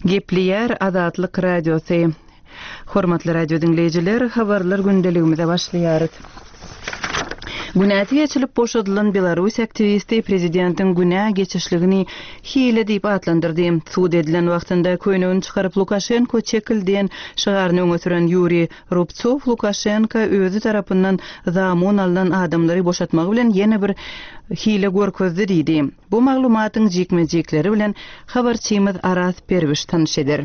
Gepleýär Azatlyk Radiosy. Hormatly radio diňleýjiler, habarlar gündeligimize başlaýarys. Günäsi geçilip boşadylan belarus aktiwisti prezidentiň günä geçişligini hile diýip atlandyrdy. Sud edilen wagtynda köýnegini çykaryp Lukaşenko çekil diýen şygaryny öňe süren Ýuriý Rubtsow Lukaşenko özi tarapyndan zamun alnan adamlary boşatmagy bilen ýene bir hile görkezdi diýdi. Bu maglumatyň jikme-jikleri bilen habarçymyz Araz Perwiş tanyş eder.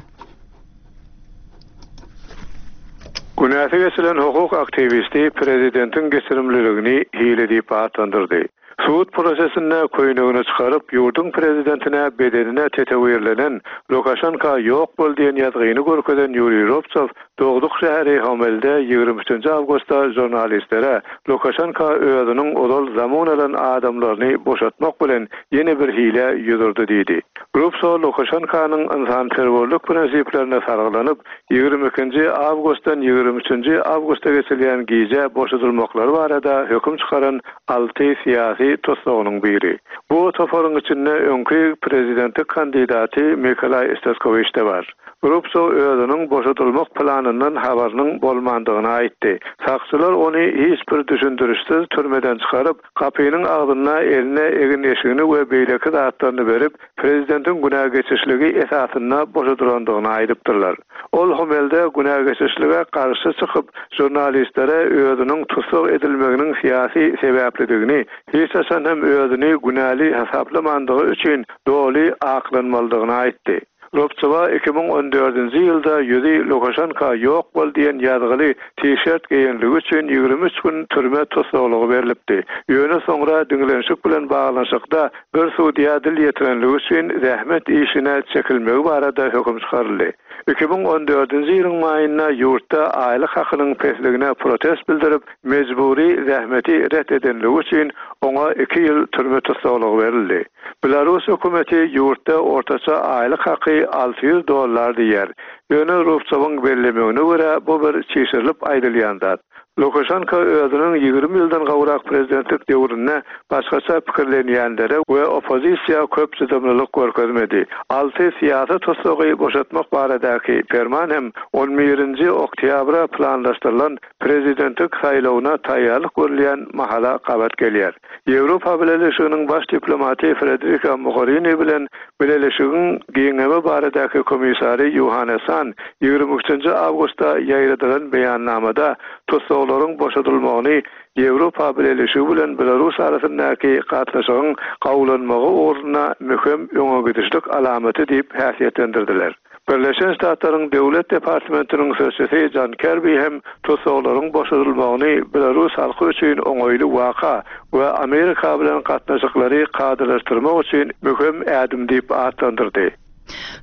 Günäsi geçilen hukuk aktiwisti prezidentiň geçirimliligini hile diýip atlandyrdy. Sud prosesinde köýnegini çykaryp, ýurduň prezidentine bedenine tetewirlenen Lukaşenka ýok bol diýen ýazgyny görkezen Ýuriý Rubtsow Dogduk şäheri Homelde 23 awgustda žurnalistlere Lukaşenka özüniň ozal zamun alan adamlaryny boşatmak bilen ýene bir hilä ýüz urdy diýdi. Rubso Lukaşenkanyň ynsanperwerlik prinsiplerine salgylanyp, 22-nji awgustdan 23-nji awgusta geçilýän gije boşadylmaklary barada höküm çykaran alty syýasy tussagynyň biri. Bu toparyň içinde öňki prezidentlik kandidaty Mikolaý Staskowiç-de bar. Rubsow özüniň boşadylmak planyndan habarynyň bolmandygyny aýtdy. Sakçylar ony hiç bir düşündirişsiz türmeden çykaryp, gapynyň agzynda eline egin-eşigini we beýleki zatlaryny berip, prezidentiň günä geçişligi esasynda boşadylandygyny aýdypdyrlar. Ol Homelde günä geçişlige garşy çykyp, žurnalistlere özüniň tussag edilmeginiň syýasy sebäplidigini, hiç haçan hem özüni günäli hasaplamandygy üçin doly aklanmalydygyny aýtdy. Rubtsowa 2014-nji ýylda ýüzi Lukaşenka ýok bol diýen ýazgyly t-şert geýenligi üçin 23 gün türme tussaglygy berlipdi. Ýöne soňra diňlenişik bilen baglanyşykda bir sudýa dil ýetirenligi üçin zähmet işine çekilmegi barada höküm çykaryldy. 2014-nji ýylyň maýynda ýurtda aýlyk hakynyň pesligine protest bildirip, mejbury zähmeti ret edenligi üçin oňa iki ýyl türme tussaglygy berildi. Belarus hökümeti ýurtda ortaça aýlyk haky 600 dollar diýýär. Ýöne Rubtsowyň bellemegine görä, bu bir çişirilip aýdylýan zat. Lukaşenko özüniň 20 ýyldan gowrak prezidentlik döwründe başgaça pikirlenýänlere we oppozisiýa köp çydamlylyk görkezmedi. Alty syýasy tussagy boşatmak baradaky perman hem on birinji oktýabra planlaşdyrylan prezidentlik saýlawyna taýýarlyk görülýän mahala gabat gelýär. Ýewropa Bileleşiginiň baş diplomaty Frederika Mogherini bilen Bileleşigiň giňeme baradaky komissary Ýohannes Han 23-nji awgustda ýaýradylan beýannamada tussaglaryň boşadylmagyny Ýewropa Bileleşigi bilen Belarus arasyndaky gatnaşygyň gowulanmagy ugrunda möhüm öňegidişlik alamaty diýip häsiýetlendirdiler. Birleşen Ştatlaryň Döwlet departamentiniň sözçüsi Jon Kerbi hem tussaglaryň boşadylmagyny belarus halky üçin oňaýly waka we Amerika bilen gatnaşyklary kadalaşdyrmak üçin möhüm ädim diýip atlandyrdy.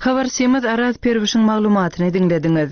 Habarçymyz Araz Perwişiň maglumatyny diňlediňiz.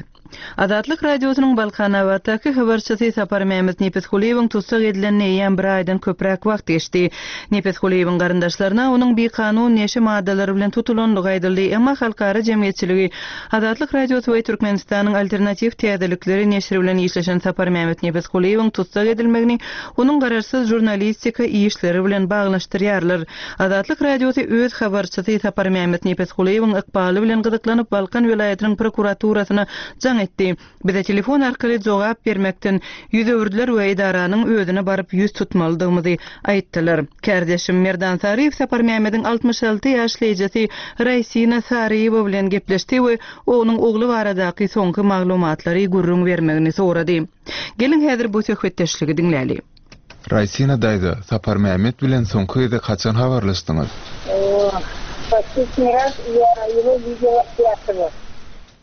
Azatlyk Radiosynyň Balkanabatdaky habarçysy Saparmämmet Nepesgulyýewiň tussag edilenine eýýäm bir aýdan köpräk wagt geçdi. Nepesgulyýewiň garyndaşlaryna onuň bikanun neşe maddalary bilen tutulandygy aýdyldy, emma halkara jemgyýetçiligi Azatlyk Radiosy we Türkmenistanyň Alternatiw täzelikleri neşiri bilen işleşen Saparmämmet Nepesgulyýewiň tussag edilmegini onuň garaşsyz žurnalistika işleri bilen baglanyşdyrýarlar. Azatlyk Radiosy öz habarçysy Saparmämmet Nepesgulyýewiň ykbaly bilen gyzyklanyp Balkan welaýatynyň prokuraturasyna jaň etdi. Bize telefon arkaly jogap bermekden ýüz öwürdiler we edaranyň özüne baryp ýüz tutmalydygymyzy aýtdylar. Kärdeşim Merdan Saryýew Saparmämmediň 66 ýaşly ejesi Raýsina Saryýewa bilen gepleşdi we onuň ogly baradaky soňky maglumatlary gürrüň bermegini sorady. Geliň häzir bu söhbetdeşligi diňläli. Raýsina daýza, Saparmämmet bilen soňky gezek haçan habarlaşdyňyz? Последний раз я его видела пятого.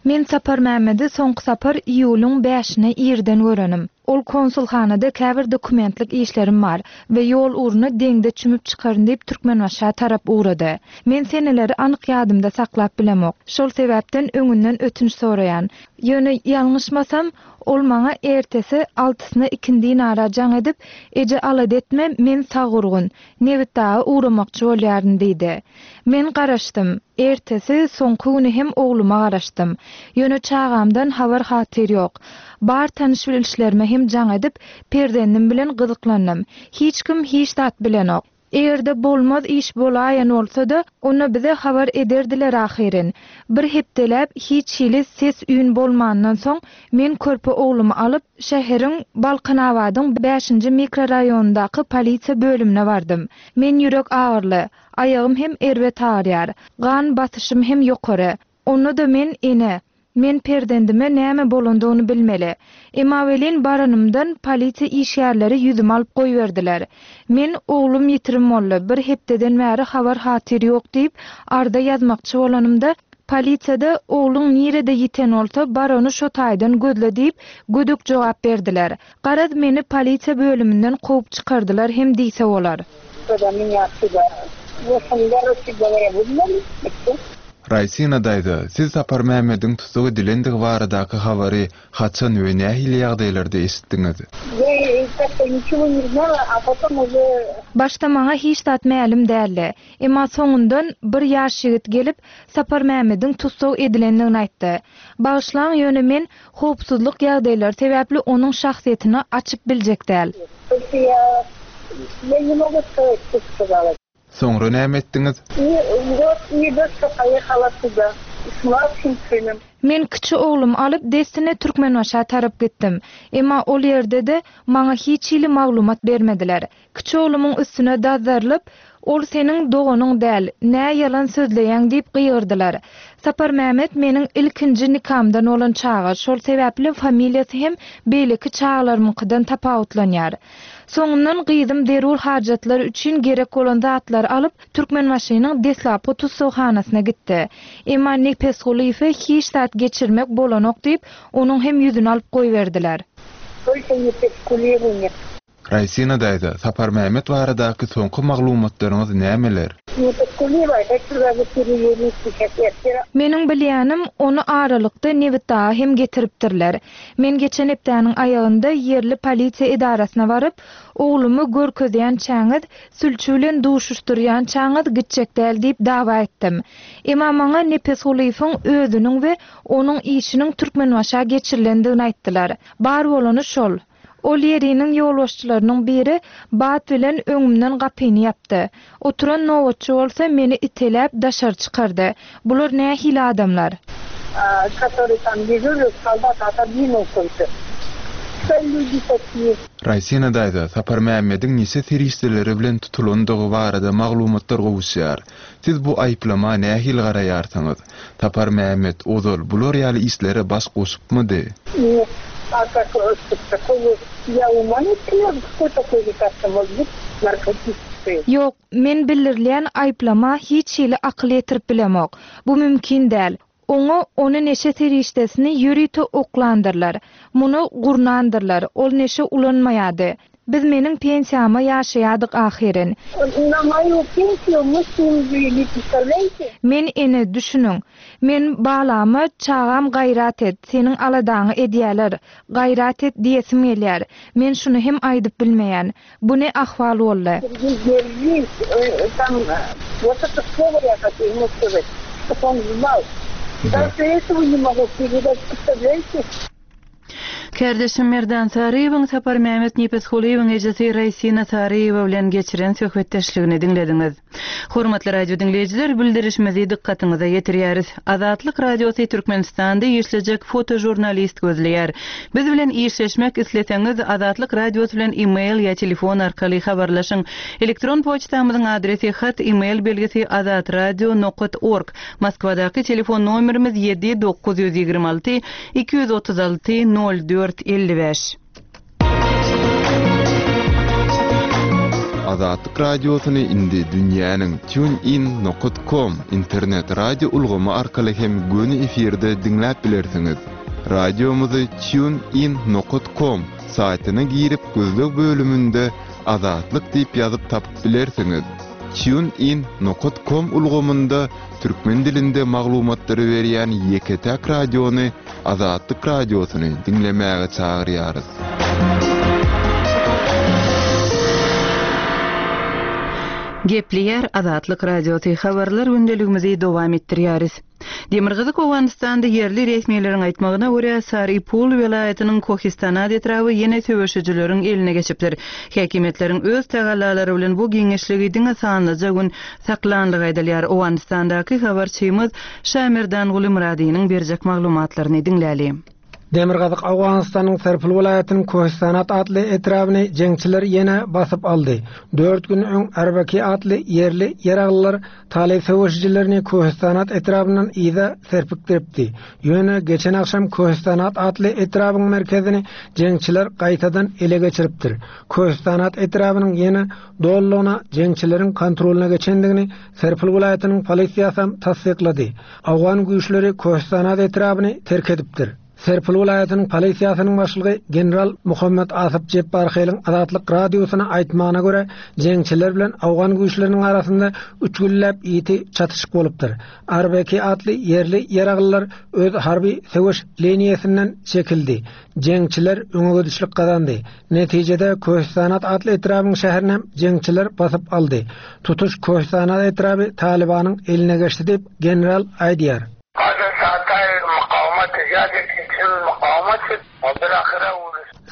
Men Saparmämmedi soňky sapar iýulyň bäşine irden görenim. Ol konsulhanada käbir dokumentlik işlerim bar we ýol ugruna deňze çümüp çykaryn diýip Türkmenbaşa tarap ugrady. Men seneleri anyk ýadymda saklap bilemok. Şol sebäpden öňünden ötünç soraýan. Ýöne ýalňyşmasam, ol maňa ertesi altysyna ikindinara jaň edip, Eje alada etme, men sag-gurgun. Nebitdaga ugramakçy bolýaryn diýdi. Men garaşdym. Ertesi, soňky güni hem ogluma garaşdym. Ýöne çagamdan habar-hatyr ýok. Bar tanyş-bilişlerime hem jaň edip, perzendim bilen gyzyklandym. Hiç kim hiç zat bilenok. Eger-de bolmaz iş bolaýan bolsa-da, onda bize habar ederdiler ahyryn. Bir hepdeläp hiç hili ses-üýn bolmandan soň, men körpe oglumy alyp, şäheriň Balkanabadyň bäşinji mikroraýonyndaky polisiýa bölümine bardym. Men ýürek agyryly, aýagym hem erbet agyrýar. Gan basyşym hem ýokary. Onda-da men ene. Men perzendime näme bolandygyny bilmeli. Emma welin baranymdan polisiýa işgärleri ýüzümi alyp goýberdiler. Men oglum ýitirim boldy, bir hepdeden bäri habar-hatyr ýok diýip, arza ýazmakçy bolanymda, polisiýada ogluň nirede ýiten bolsa, bar ony şo taýdan gözle diýip, gödek jogap berdiler. Garaz, meni polisiýa bölüminden kowup çykardylar hem diýse bolar. Raýsina daýza, siz Saparmämmediň tussag edilendigi baradaky habary haçan we nähili ýagdaýlarda eşitdiňiz? Başda maňa hiç zat mälim däldi. Emma soňundan bir ýaş ýigit gelip, Saparmämmediň tussag edilendigini aýtdy. Bagyşlaň, ýöne men howpsuzlyk ýagdaýlary sebäpli onuň şahsyýetini açyp biljek däl. Soňra näme etdiňiz? Men kiçi oglumy alyp, dessine Türkmenbaşa tarap gitdim. Emma ol ýerde-de maňa hiç hili maglumat bermediler. Kiçi oglumyň üstüne dazzarylyp, Ol seniň doganyň däl, nä ýalan sözleýäň diýip gygyrdylar. Saparmämmet meniň ilkinji nikamdan bolan çaga, şol sebäpli familiýasy hem beýleki çagalarymyňkydan tapawutlanýar. Soňundan gyzym zerur hajatlar üçin gerek bolan zatlary alyp, Türkmenbaşynyň deslapky tussaghanasyna gitdi. Emma Nepesgulyýewe hiç zat geçirmek bolanok diýip, onuň hem ýüzüni alyp goýberdiler. Только Nepesgulyýewu net. Raýsina daýza, Saparmämmet baradaky soňky maglumatlaryňyz nämeler? Meniň bilýänim, ony aralykda Nebitdaga hem getiripdirler. Men geçen hepdäniň aýagynda ýerli polisiýa edarasyna baryp, oglumy görkezýänçäňiz, sülçi bilen duşuşdyrýançaňyz gitjek däl diýip dawa etdim. Emma maňa Nepesgulyýewiň özüniň we onuň işiniň Türkmenbaşa geçirilendigini aýtdylar. Bar bolany şol. Ol ýeriniň ýolbaşçylarynyň biri bat bilen öňümden gapyny ýapdy. Oturan nobatçy bolsa meni iteläp daşary çykardy. Bular nähili adamlar? Raýsina daýza, Saparmämmediň neşe serişdeleri bilen tutulandygy barada maglumatlar gowuşýar. Siz bu aýyplama nähili garaýarsyňyz? Saparmämmet ozal bular ýaly işlere baş goşupmydy? Ýok, men bildirilýän aýyplama hiç hili akyl ýetirip bilemok. Bu mümkin däl. Oňa ony neşe serişdesini ýörite oklandyrlar. Muny gurnandyrlar. Ol neşe ulanmaýardy. Biz meniň pensiýama ýaşaýardyk ahyryn. Men ene, düşüniň. Men balama, çagam gaýrat et, seniň aladaňy edýäler, gaýrat et diýesim gelýär. Men şuny hem aýdyp bilmeýän. Bu ne ahwal boldy? Kärdeşim Merdan Saryýewiň Saparmämmet Nepesgulyýewiň ejesi Raýsina Saryýewa bilen geçiren söhbetdeşligini diňlediňiz. Hormatly radio diňleýjiler, bildirişimizi dykgatyňyza ýetirýäris. Azatlyk Radiosy Türkmenistanda işlejek fotožurnalist gözleýär. Biz bilen işleşmek isleseňiz, Azatlyk Radiosy bilen e-mail ýa telefon arkaly habarlaşyň. Elektron poçtamyzyň adresi hat e-mail belgisi azatradio nokat org. Moskwadaky telefon nomerimiz ýedi 926 236 04 55. Azatlyk Radiosyny indi dünýäniň TuneIn nokat kom internet radio ulgamy arkaly hem göni efirde diňläp bilersiňiz. Radiomyzy TuneIn nokat kom saýtyna girip gözleg bölüminde Azatlyk diýip ýazyp tapyp bilersiňiz. TuneIn nokat kom ulgamynda türkmen dilinde maglumatlary berýän ýeke-täk radiony Azatlyk Radiosyny diňlemäge çagyrýarys. Gepleýär Azatlyk Radiosy, Habarlar gündeligimizi dowam etdirýäris. Demirgazyk Owganystanda ýerli resmileriň aýtmagyna görä, Sar-i-Pul welaýatynyň Kohistanat etraby ýene söweşijileriň eline geçipdir. Häkimiýetleriň öz tagallalary bilen bu giňişligi diňe sanlyja gün saklanlygy aýdylýar. Owganystandaky habarçymyz Şamerdanguly Myradynyň berjek maglumatlaryny diňläli. Demirgazyk Owganystanyň Serpil welaýatynyň Kohistanat atly etrabyny jeňçiler ýene basyp aldy. Dört gün öň Arbaki atly ýerli ýaraglylar talyp söweşijilerini Kohistanat etrabyndan yza serpikdiripdi. Ýöne geçen agşam Kohistanat atly etrabyň merkezini jeňçiler gaýtadan ele geçiripdir. Kohistanat etrabynyň ýene dolulygyna jeňçileriň kontrolyna geçendigini Serpil welaýatynyň polisiýasam tassyklady. Owgan güýçleri Köhüstanat etrabyny terk edipdir. Serpil welaýatynyň polisiýasynyň başlygy general Muhammet Asyp Jepbarheliň Azatlyk Radiosyna aýtmagyna görä, jeňçiler bilen owgan güýçleriniň arasynda üç günläp ýiti çatyşyk bolupdyr. Arbeki atly ýerli ýaraglylar öz harby söweş liniýasyndan çekildi. Jeňçiler öňegidişlik gazandy. Netijede Köhüstanat atly etrabyň şäherinem jeňçiler basyp aldy. Tutuş Köhüstanat etraby Talybanyň eline geçdi diýip, general aýdýar.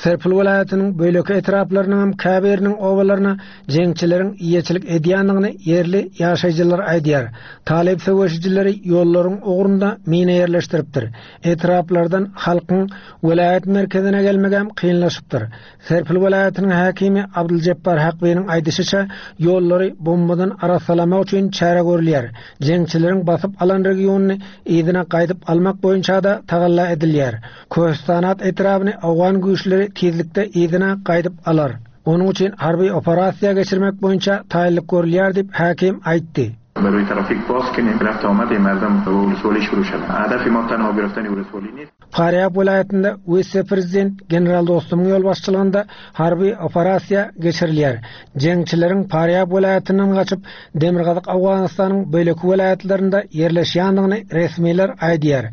Serpil welaýatynyň beýleki etraplarynyňam käbiriniň obalaryna jeňçileriň eýeçilik edýändigini ýerli ýaşaýjylar aýdýar. Talyp söweşijileri ýollaryň ugrunda mina ýerleşdiripdir. Etraplardan halkyň welaýat merkezine gelmegem kynlaşypdyr. Serpil welaýatynyň häkimi Abdyljepbar Hakbynyň aýdyşyça, ýollary bombadan arassalamak üçin çäre görülýär. Jeňçileriň basyp alan regionyny yzyna gaýdyp almak boýunça-da tagalla edilýär. Köhüstanat etrabyny owgan güýçleri tizlikde yzyna gaýdyp alar. Onuň üçin harby operasiýa geçirmek boýunça taýynlyk görülýär diýip, häkim aýtdy. Farýab welaýatynda wise-prezident general Dostumyň ýolbaşçylygynda harby operasiýa geçirilýär. Jeňçileriň Farýab welaýatyndan gaçyp, Demirgazyk Owganystanyň beýleki welaýatlarynda ýerleşýändigini resmiler aýdýar.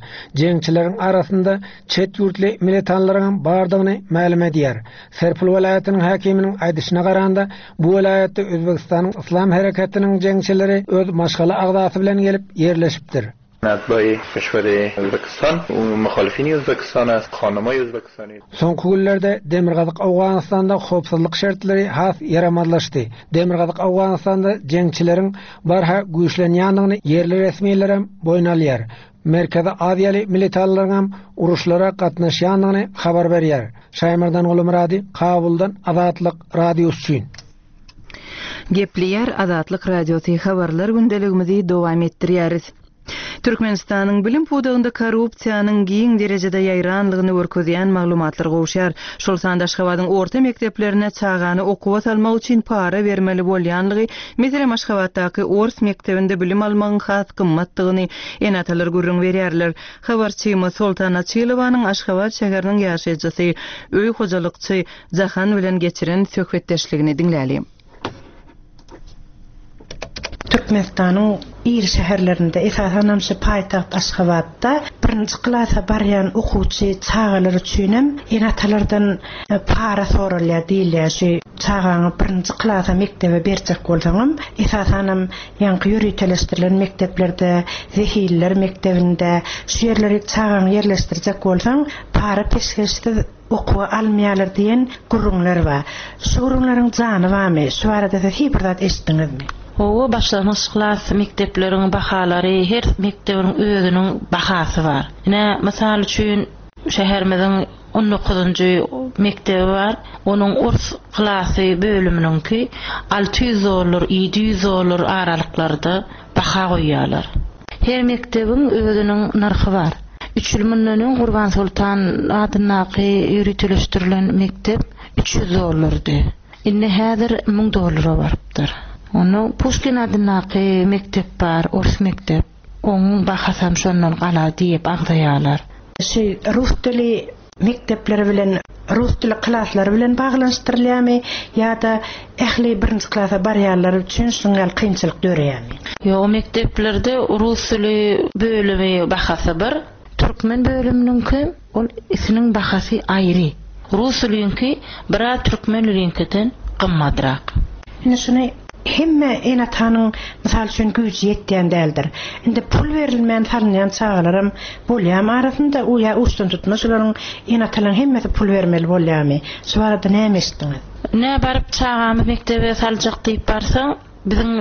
Jeňçileriň arasynda çet ýurtly militanlaryňam bardygyny mälim edýär. Serpil welaýatynyň häkiminiň aýdyşyna garanda, bu welaýatda Özbegistanyň Yslam hereketiniň jeňçileri öz maşgala agzasy bilen gelip ýerleşipdir. Soňky günlerde Demirgazyk Owganystanda howpsuzlyk şertleri has ýaramazlaşdy. Demirgazyk Owganystanda jeňçileriň barha güýçlenýändigini ýerli resmilerem boýun alýar. Merkezi Aziýaly militanlaryňam uruşlara gatnaşýandygyny habar berýär. Şaýmerdan Gulumyrady, Kabuldan Azatlyk Radiosy üçin. Gepleýär Azatlyk Radiosy habarlar gündeligimizi dowam etdirýäris. Türkmenistanyň bilim pudagynda korrupsiýanyň giň derejede ýaýranlygyny görkezýän maglumatlar gowuşýar. Şol sanda Aşgabadyň orta mekdeplerine çagany okuwa salmak üçin para bermeli bolýanlygy, meselem Aşgabatdaky ors mekdebinde bilim almagyň has gymmatdygyny ene-atalar gürrüň berýärler. Habarçymyz Soltan Açylowanyň Aşgabat şäheriniň ýaşaýjysy, öý hojalykçy Jahan bilen geçiren söhbetdeşligini diňläli. Türkmenistanyň iri şäherlerinde, esasanam şu paýtagt Aşgabatda birinji klasa barýan okuwçy çagalar üçinem ene-atalardan para soralýar diýilýär. Şu çagaňy birinji klasa mekdebe berjek bolsaňam, esasanam ýaňky ýöriteleşdirilen mekdeplerde, zehinliler mekdebinde, şu ýerlere çagaňy ýerleşdirjek bolsaň, para-peşgeşsiz okuwa almaýarlar diýen gürrüňler bar. Şu gürrüňleriň jany barmy? Şu barada siz hiý bir zat eşitdiňizmi? Hawa, başlangyç klas mekdepleriň bahalary, her mekdebiň özüniň bahasy bar. Ine, mysal üçin, şäherimiziň on dokuzynjy mekdebi bar, onuň ors klasy bölüminiňki 600 dollar, 700 dollar aralyklarda baha goýýarlar. Her mekdebiň özüniň nyrhy bar. Üç ýyl mundan öň Gurbansoltan adyndaky ýöriteleşdirilen mekdep 300 dollardy. Indi häzir 1000 dollara barypdyr. Onda Puşkin adyndaky mekdep bar, ors mekdep. Onuň bahasam şondan galar diýip agzaýarlar. Şu rus dili mekdepleri bilen rus dili klaslary bilen baglanyşdyrylýarmy ýa-da ähli birinji klasa barýanlar üçin şunuň ýaly kynçylyk döreýärmi? Ýok, mekdeplerde rus dili bölümi bahasy bir, türkmen bölüminiňki ol isiniň bahasy aýry. Rus diliňki biraz türkmen diliňkiden gymmadrak. Indi şuny. Hemme ene-atanyň, mysal üçin, güýji ýetýän däldir. Indi pul berilmän salynýan çagalaram bolýamy arasynda, ýa uçdantutma şolaryň ene-atalaryň hemmesi pul bermeli bolýamy? Şu barada näme eşitdiňiz? Nä baryp çagamy mekdebe saljak diýip barsaň, biziň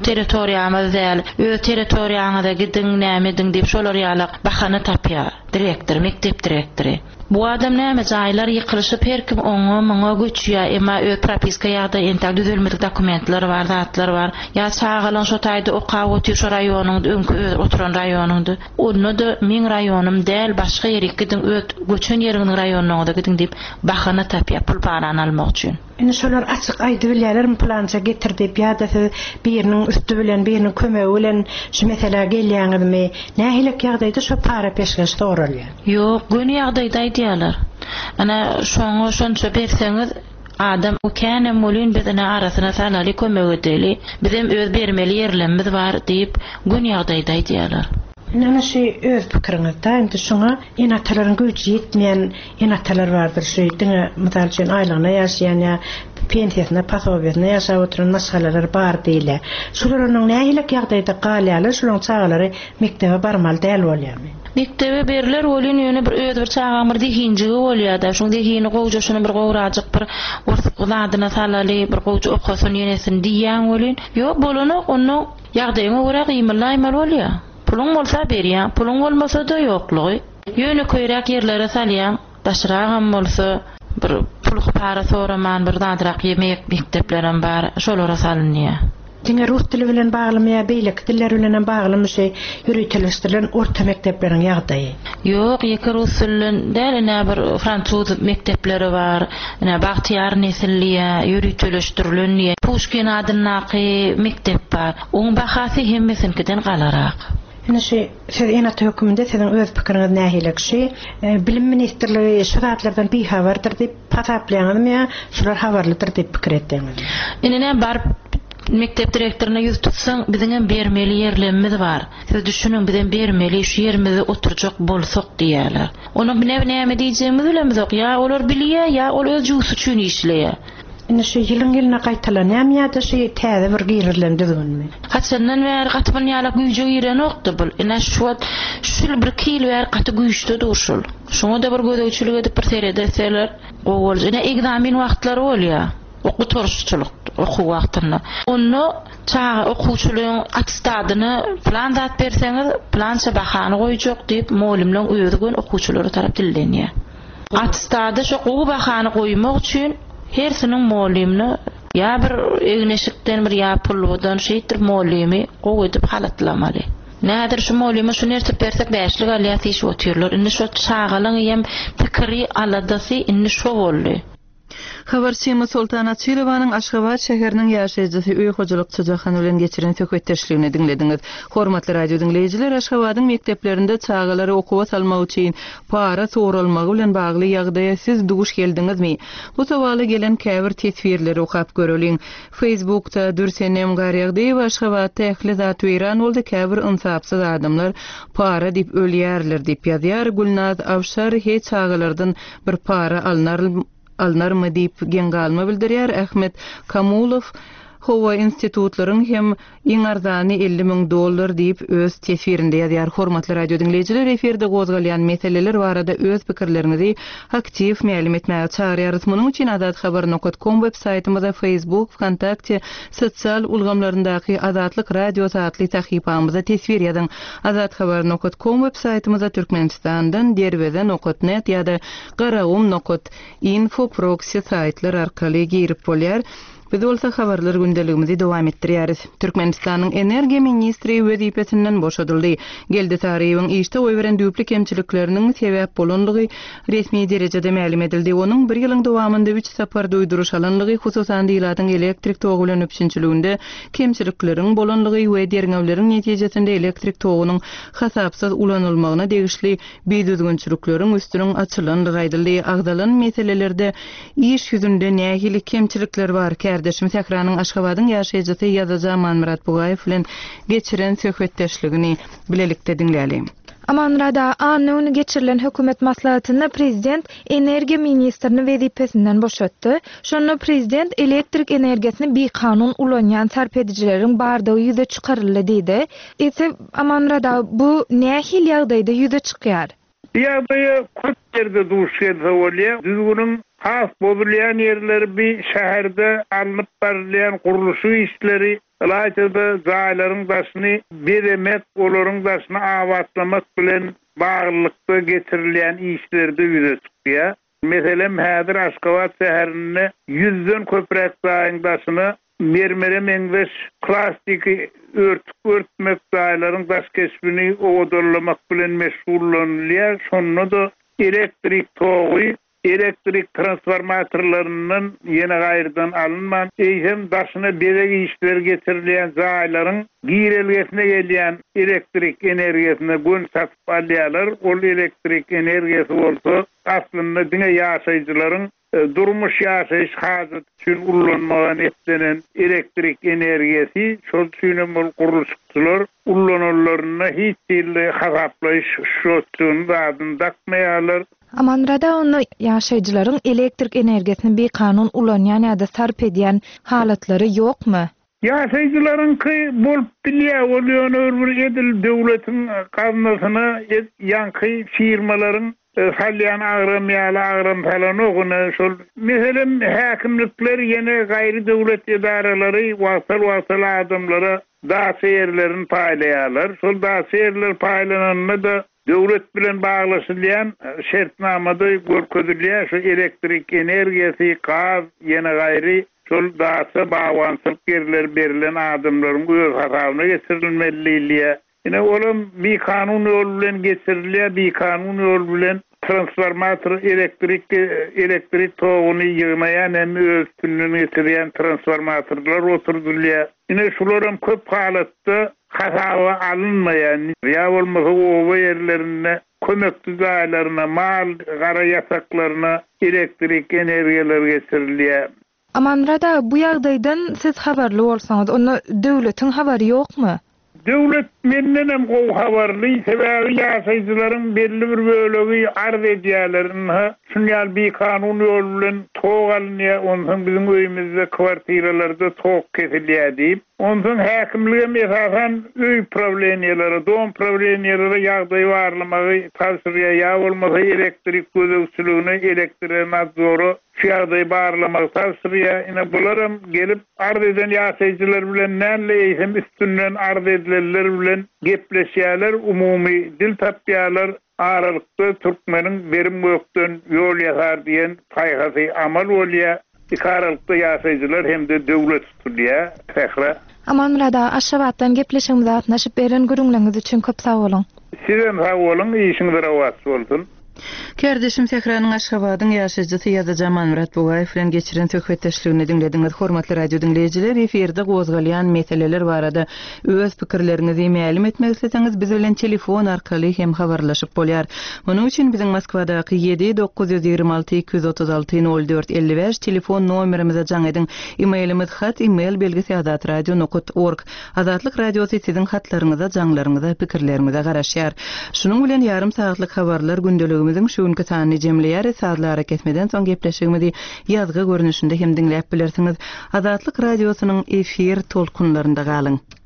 territoriýamyz däl, öz territoriýaňyza gidiň, näme ediň diýip şolar ýalak bahana tapýar direktor, mekdep direktory. Bu adam näme jaýlar ýykylyşyp her kim oňa muňa göçýä emma öz propiska ýagdaýy entäk düzelmedik dokumentler bar zatlar bar ýa çagalaň şo taýda okap otyr şo raýonyňda öňki öz oturan raýonyňda onda-da meň raýonym däl başga ýerik gidiň öz göçen ýeriňiziň raýonyňyza gidiň diýip bahana tapýa pul parany almak üçin. Indi şolar açyk aýdybilýärlermi pylança getir diýip ýa-da siz biriniň üsti bilen, biriniň kömegi bilen şu meselä gelýäňizmi? Nähilek ýagdaýda şo para-peşgeş soralýar? Ýok, göni ýagdaýda aýdýarlar. Ine, şoňa şonça berseňiz, adam känem welin biz ine arasyna salaly, kömek edeli, bizem öz bermeli ýerlemmiz bar diýip, göni ýagdaýda aýdýarlar. Indi ana şu öz pikiriňiz-da, indi şuňa ene-atalaryň güýji ýetmeýän ene-atalar bardyr, şu diňe mysal üçin aýlygyna ýaşaýan ýa pensiýasyna, posobiýasyna ýaşap oturan maşgalalar bar diýilýär. Şular onuň nähilek ýagdaýda galýarlar, şularyň çagalary mekdebe barmaly däl bolýarmy? Mekdebe berler welin ýöne bir öz bir çagaň bir zehinjigi bolýada, şuň zehini gowja şuny bir gowrajyk bir ors zadyna salaly, bir gowja okasyn ýenesin diýýäň welin, ýok bolanok, onda Ýagdaýyňa görä gymyldaýmaly bolýa. Puluň bolsa berýäň, puluň bolmasa-da ýoklugy. Ýönekeýräk ýerlere salýaň, daşragam bolsa bir pul-para soraman bir zadrak ýemek mekdeplerem bar, şolara salynýa. Diňe rus dili bilen baglymy ýa beýleki diller bilenem baglymy şu ýöriteleşdirilen orta mekdepleriň ýagdaýy? Ýok, ýeke rus dilinden däl, ine bir fransuz mekdepleri bar, ine Bagtyýar nesil diýýä, ýöriteleşdirilen diýýä, Puşkin adyndaky mekdep bar. Oň bahasy hemmesiniňkiden galarak. Ine şu siz ene-ata höküminde siziň öz pikiriňiz nähili? Şu Bilim ministrligi şu zatlardan bihabardyr diýip hasaplaýaňyzmy ýa şular habarlydyr diýip pikir etýäňizmi? Ine näme baryp mekdep direktoryna ýüz tutsaň biziňem bermeli ýerlemmiz bar. Siz düşüniň bizem bermeli şu ýerimizde oturjak bolsak diýýärler. Onda bine näme diýjegimizi bilemizok ýa olar bilýä ýa ol öz jübüsi üçin işleýä. Indi şu ýylyň ýylyna gaýtalanýamy ýa-da şu täze bir girizilen düzgünmi? Haçandan bäri gaty bun ýalak güýje girenokdy bul. Ine şu wagt şu ýyl birki ýyl bäri gaty güýçde dur şul. Şuňa-da bir gözegçilik edip bir seredeseler gowy boljak. Ine egzamin wagtlary bolýa. Gutaryşçylyk okuw wagtynda. Onda çaga okuwçylaryň attestadyna pylan zat berseňiz, pylança bahany goýjak diýip, mugallymlaryň özi göni okuwçylara tarap dillenýär. Attestada şo gowy bahany goýmak üçin hersiniň mugallymyna ýa bir egin-eşikden bir ýa pulludan şeýtdirip mugallymy gowy edip halatlamaly. Nädir şu mugallyma şu nerse bersek bäşlik alýas diýşip otyrlar. Indi şo çagalaň hem pikiri, aladasy indi şo boldy. Habarçymyz Soltan Açylowanyň Aşgabat şäheriniň ýaşaýjysy öý hojalykçy Jahan bilen geçiren söhbetdeşligini diňlediňiz. Hormatly radio diňleýjiler, Aşgabadyň mekdeplerinde çagalary okuwa salmak üçin para soralmagy bilen bagly ýagdaýa siz duş geldiňizmi? Bu sowala gelen käbir teswirleri okap göreliň. Facebookda Dürsenem Garýagdyýewa Aşgabatda ähli zat weýran boldy, käbir ynsapsyz adamlar para diýip ölýärler diýip ýazýar. Gülnaz Awşar He çagalardan Bir para alnar alnarmy diýip geň galma bildirýär Ahmet Kamulow, Hawa, institutlaryň hem iň arzany 50 müň dollar diýip, öz teswirinde ýazýar. Hormatly radio diňleýjiler, efirde gozgalýan meseleler barada öz pikirleriňizi aktiw mälim etmäge çagyrýarys. Munuň üçin azathabar nokat kom web saýtymyza, Facebook, Wkontakte sosial ulgamlaryndaky Azatlyk Radiosy atly sahypamyza teswir ýazyň. Azathabar nokat kom web saýtymyza Türkmenistandan Derweze nokat net ýa-da Garagum nokat info proksi saýtlar arkaly girip bolýar. Biz bolsa habarlar gündeligimizi dowam etdirýäris. Türkmenistanyň energiýa ministri wezipesinden boşadyldy. Geldi Saryýewiň işde goýberen düýpli kemçilikleriniň sebäp bolanlygy resmi derejede mälim edildi. Onuň bir ýylyň dowamynda üç sapar duýduryş alanlygy, hususan-da ilatyň elektrik togy bilen üpjünçiliginde kemçilikleriň bolanlygy we derňewleriň netijesinde elektrik togunyň hasapsyz ulanylmagyna degişli bidüzgünçilikleriň üstüniň açylandygy aýdyldy. Agzalan meselelerde iş ýüzünde nähili kemçilikler bar? Kärdeşim Sähranyň Aşgabadyň ýaşaýjysy ýazyjy Amanmyrat Bugaýew bilen geçiren söhbetdeşligini bilelikde diňläliň. Amanmyrat aga, anna güni geçirilen hökümet maslahatynda prezident energiýa ministrini wezipesinden boşatdy. Şonda prezident elektrik energiýasyny bikanun ulanýan sarp edijileriň bardygy ýüze çykaryldy diýdi. Eýse, Amanmyrat aga, bu nähili ýagdaýda ýüze çykýar? Bu ýagdaýa köp ýerde duş gelse bolýar. Düzgüniň has bozulýan ýerleri bi şäherde alnyp barylýan gurluşyk işleri, ylaýta-da jaýlaryň daşyny bezemek, olaryň daşyny abatlamak bilen baglylykda geçirilýän işlerde ýüze çykýar. Meselem, häzir Aşgabat şäherinde ýüzden köpräk jaýyň daşyna mermere meňzeş plastiki örtük örtmek, jaýlaryň daş keşbini owadanlamak bilen meşgullanylýar, şonda-da elektrik togy elektrik transformatorlaryndan ýene gaýrydan alynman, eýsem daşyna bezeg işleri geçirilýän jaýlaryň girelgesine gelýän elektrik energiýasyna göni satyp alýarlar, ol elektrik energiýasy bolsa aslynda diňe ýaşaýjylaryň durmuş-ýaşaýyş hajaty üçin ullanmaga niýetlenen elektrik energiýasy, şol üçinem ol gurluşykçylar ullananlarynda hiç hili hasaplaýyş şotçugyny zadyny dakmaýarlar. Amanmyrat aga onda ýaşaýjylaryň elektrik energiýasyny bikanun ulanýan ýa-da sarp edýän halatlary ýokmy? Ýaşaýjylaryňky bolup bilýär, ol ýöne bir bir edil döwletiň gaznasyna ýaňky firmalaryň salýan agram ýaly agram salanok, ine şol meselem häkimlikler ýene gaýry döwlet edaralary wagtal-wagtal adamlara daça ýerlerini paýlaýarlar, şol daça ýerler paýlananda-da Döwlet bilen baglaşylýan şertnamada görkezilýär, şu elektrik energiýasy, gaz, ýene gaýry şol daça, bagbançylyk ýerleri berlen adamlaryň öz hasabyna geçirilmeli diýilýär. Ine, olam bikanun ýol bilen geçirilýär, bikanun ýol bilen transformator elektrik elektrik toguny ýygnaýan hem öz üstünden geçirýän transformatorlar oturdylýar. Ine, şularam köp halatda hasaba alynmaýan ýa bolmasa oba ýerlerinde kömekçi jaýlaryna, mal gara ýataklaryna elektrik energiýalar geçirilýär. Amanmyrat aga, bu ýagdaýdan siz habarly bolsaňyz, onda döwletiň habary ýokmy? Döwlet mendenem gowy habarly, sebäbi ýaşaýjylaryň belli bir bölegi arz edýärler, ynha, şun ýaly bikanun ýol bilen tok alynýar, onsoň biziň öýümizde, kwartiralarda tok kesilýär diýip. Onsoň häkimligem esasan öý prawleniýelere, dom prawleniýelere ýagdaýy barlamagy tabşyrýar, ýa bolmasa elektrik gözegçiligine, elektrenadzora şu ýagdaýy barlamagy tabşyrýar. Ine, bularam gelip, arz eden ýaşaýjylar bilen däl-de, eýsem üstünden arz edilenler bilen gepleşýärler, umumy dil tapýarlar. Aralykda türkmeniň berim gökden ýol ýasar diýen paýhasy amal bolýar. Ikaralykda ýaşaýjylar hem-de döwlet tutulýar. Sähra. Amanmyrat aga Aşgabatdan gepleşigimize gatnaşyp beren gürrüňleriňiz üçin köp sag boluň. Sizem sag boluň, işiňiz rowaç bolsun. Kärdeşim Sähranyň Aşgabadyň ýaşaýjysy ýazyjy Amanmyrat Bugaýew bilen geçiren söhbetdeşligini diňlediňiz. Hormatly radio diňleýjiler, efirde gozgalýan meseleler barada Öz pikirleriňizi mälim etmek isleseňiz, biz bilen telefon arkaly hem habarlaşyp bolýar. Munuň üçin biziň Moskwadaky ýedi 926 236 04 55 telefon nomerimize jaň ediň. E-mailimiz hat email belgisi azatradio nokat org. Azatlyk Radiosy siziň hatlaryňyza, jaňlaryňyza, pikirleriňize garaşýar. Şunuň bilen ýarym sagatlyk habarlar gündeligimiziň şu günki sanyny jemleýäris. Sazly arakesmeden soň gepleşigimizi ýazgy görnüşinde hem diňläp bilersiňiz. Azatlyk Radiosynyň efir tolkunlarynda galyň!